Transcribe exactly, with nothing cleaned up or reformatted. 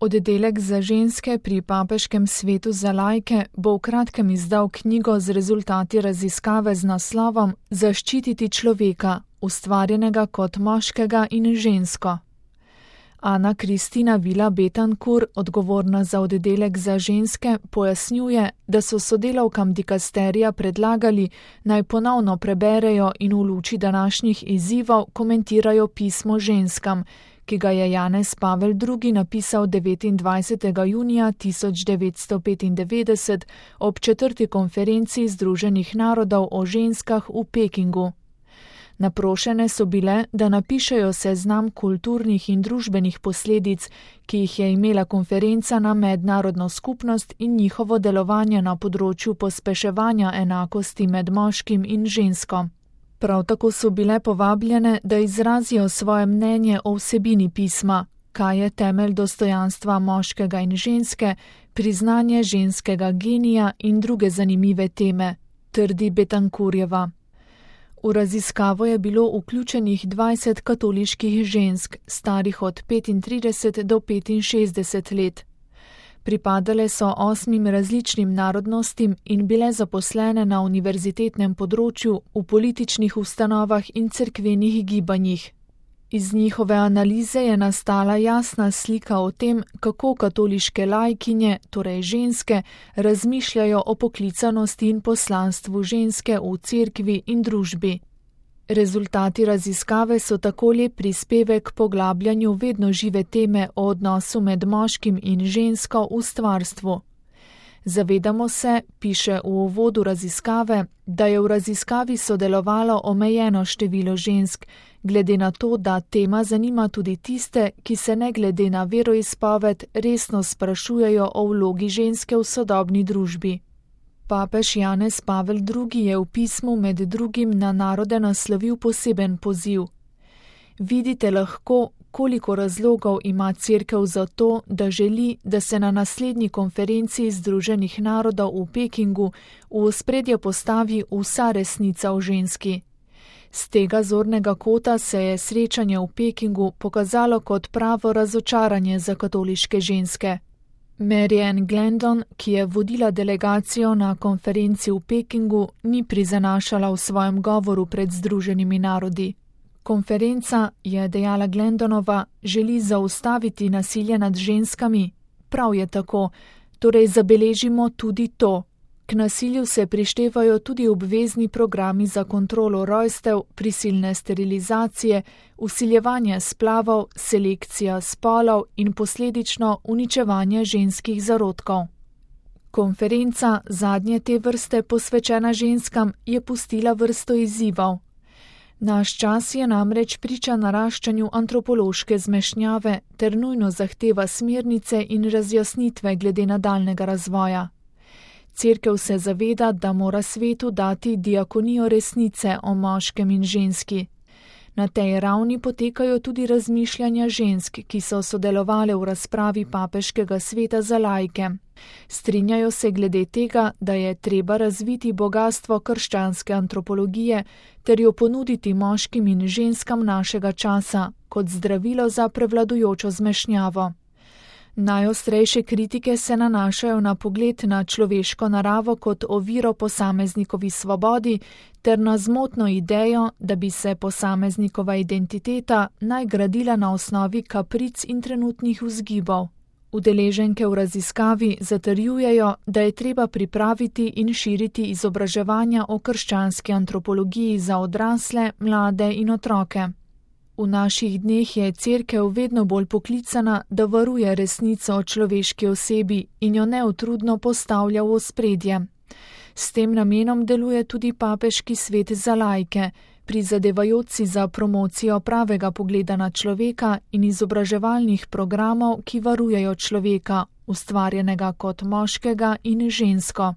Oddelek za ženske pri Papeškem svetu za laike bo v kratkem izdal knjigo z rezultati raziskave z naslovom Zaščititi človeka, ustvarjenega kot moškega in žensko. Ana Kristina Vila Betankur, odgovorna za oddelek za ženske, pojasnjuje, da so sodelavkam dikasterija predlagali, naj ponovno preberejo in v luči današnjih izzivov komentirajo pismo ženskam, ki ga je Janez Pavel drugi. napisal devetindvajsetega junija tisoč devetsto petindevetdeset ob četrti konferenci Združenih narodov o ženskah v Pekingu. Naprošene so bile, da napišejo seznam kulturnih in družbenih posledic, ki jih je imela konferenca na mednarodno skupnost in njihovo delovanje na področju pospeševanja enakosti med moškim in žensko. Prav tako so bile povabljene, da izrazijo svoje mnenje o vsebini pisma, kaj je temelj dostojanstva moškega in ženske, priznanje ženskega genija in druge zanimive teme, trdi Betankurjeva. V raziskavo je bilo vključenih dvajset katoliških žensk, starih od petintrideset do petinšestdeset let. Pripadale so osmim različnim narodnostim in bile zaposlene na univerzitetnem področju, v političnih ustanovah in cerkvenih gibanjih. Iz njihove analize je nastala jasna slika o tem, kako katoliške laikinje, torej ženske, razmišljajo o poklicanosti in poslanstvu ženske v cerkvi in družbi. Rezultati raziskave so tako lep prispevek k poglabljanju vedno žive teme o odnosu med moškim in žensko v stvarstvu. Zavedamo se, piše v uvodu raziskave, da je v raziskavi sodelovalo omejeno število žensk, glede na to, da tema zanima tudi tiste, ki se ne glede na veroizpoved resno sprašujejo o vlogi ženske v sodobni družbi. Papež Janez Pavel drugi. je v pismu med drugim na narode naslovil poseben poziv. Vidite lahko, koliko razlogov ima Cerkev za to, da želi, da se na naslednji konferenci Združenih narodov v Pekingu v ospredje postavi vsa resnica o ženski. Z tega zornega kota se je srečanje v Pekingu pokazalo kot pravo razočaranje za katoliške ženske. Mary Ann Glendon, ki je vodila delegacijo na konferenci v Pekingu, ni prizanašala v svojem govoru pred Združenimi narodi. Konferenca, je dejala Glendonova, želi zaustaviti nasilje nad ženskami. Prav je tako, torej zabeležimo tudi to. K nasilju se prištevajo tudi obvezni programi za kontrolo rojstev, prisilne sterilizacije, vsiljevanje splavov, selekcija spolov in posledično uničevanje ženskih zarodkov. Konferenca, zadnje te vrste posvečena ženskam, je pustila vrsto izzivov. Naš čas je namreč priča naraščanju antropološke zmešnjave ter nujno zahteva smernice in razjasnitve glede nadaljnjega razvoja. Cerkev se zaveda, da mora svetu dati diakonijo resnice o moškem in ženski. Na tej ravni potekajo tudi razmišljanja žensk, ki so sodelovale v razpravi Papeškega sveta za laike. Strinjajo se glede tega, da je treba razviti bogastvo krščanske antropologije ter jo ponuditi moškim in ženskam našega časa kot zdravilo za prevladujočo zmešnjavo. Najostrejše kritike se nanašajo na pogled na človeško naravo kot oviro posameznikovi svobodi ter na zmotno idejo, da bi se posameznikova identiteta naj gradila na osnovi kapric in trenutnih vzgibov. Udeleženke v raziskavi zatrjujejo, da je treba pripraviti in širiti izobraževanja o krščanski antropologiji za odrasle, mlade in otroke. V naših dneh je Cerkev vedno bolj poklicana, da varuje resnico o človeški osebi in jo neutrudno postavlja v ospredje. S tem namenom deluje tudi Papeški svet za laike, prizadevajoč si za promocijo pravega pogleda na človeka in izobraževalnih programov, ki varujejo človeka, ustvarjenega kot moškega in žensko.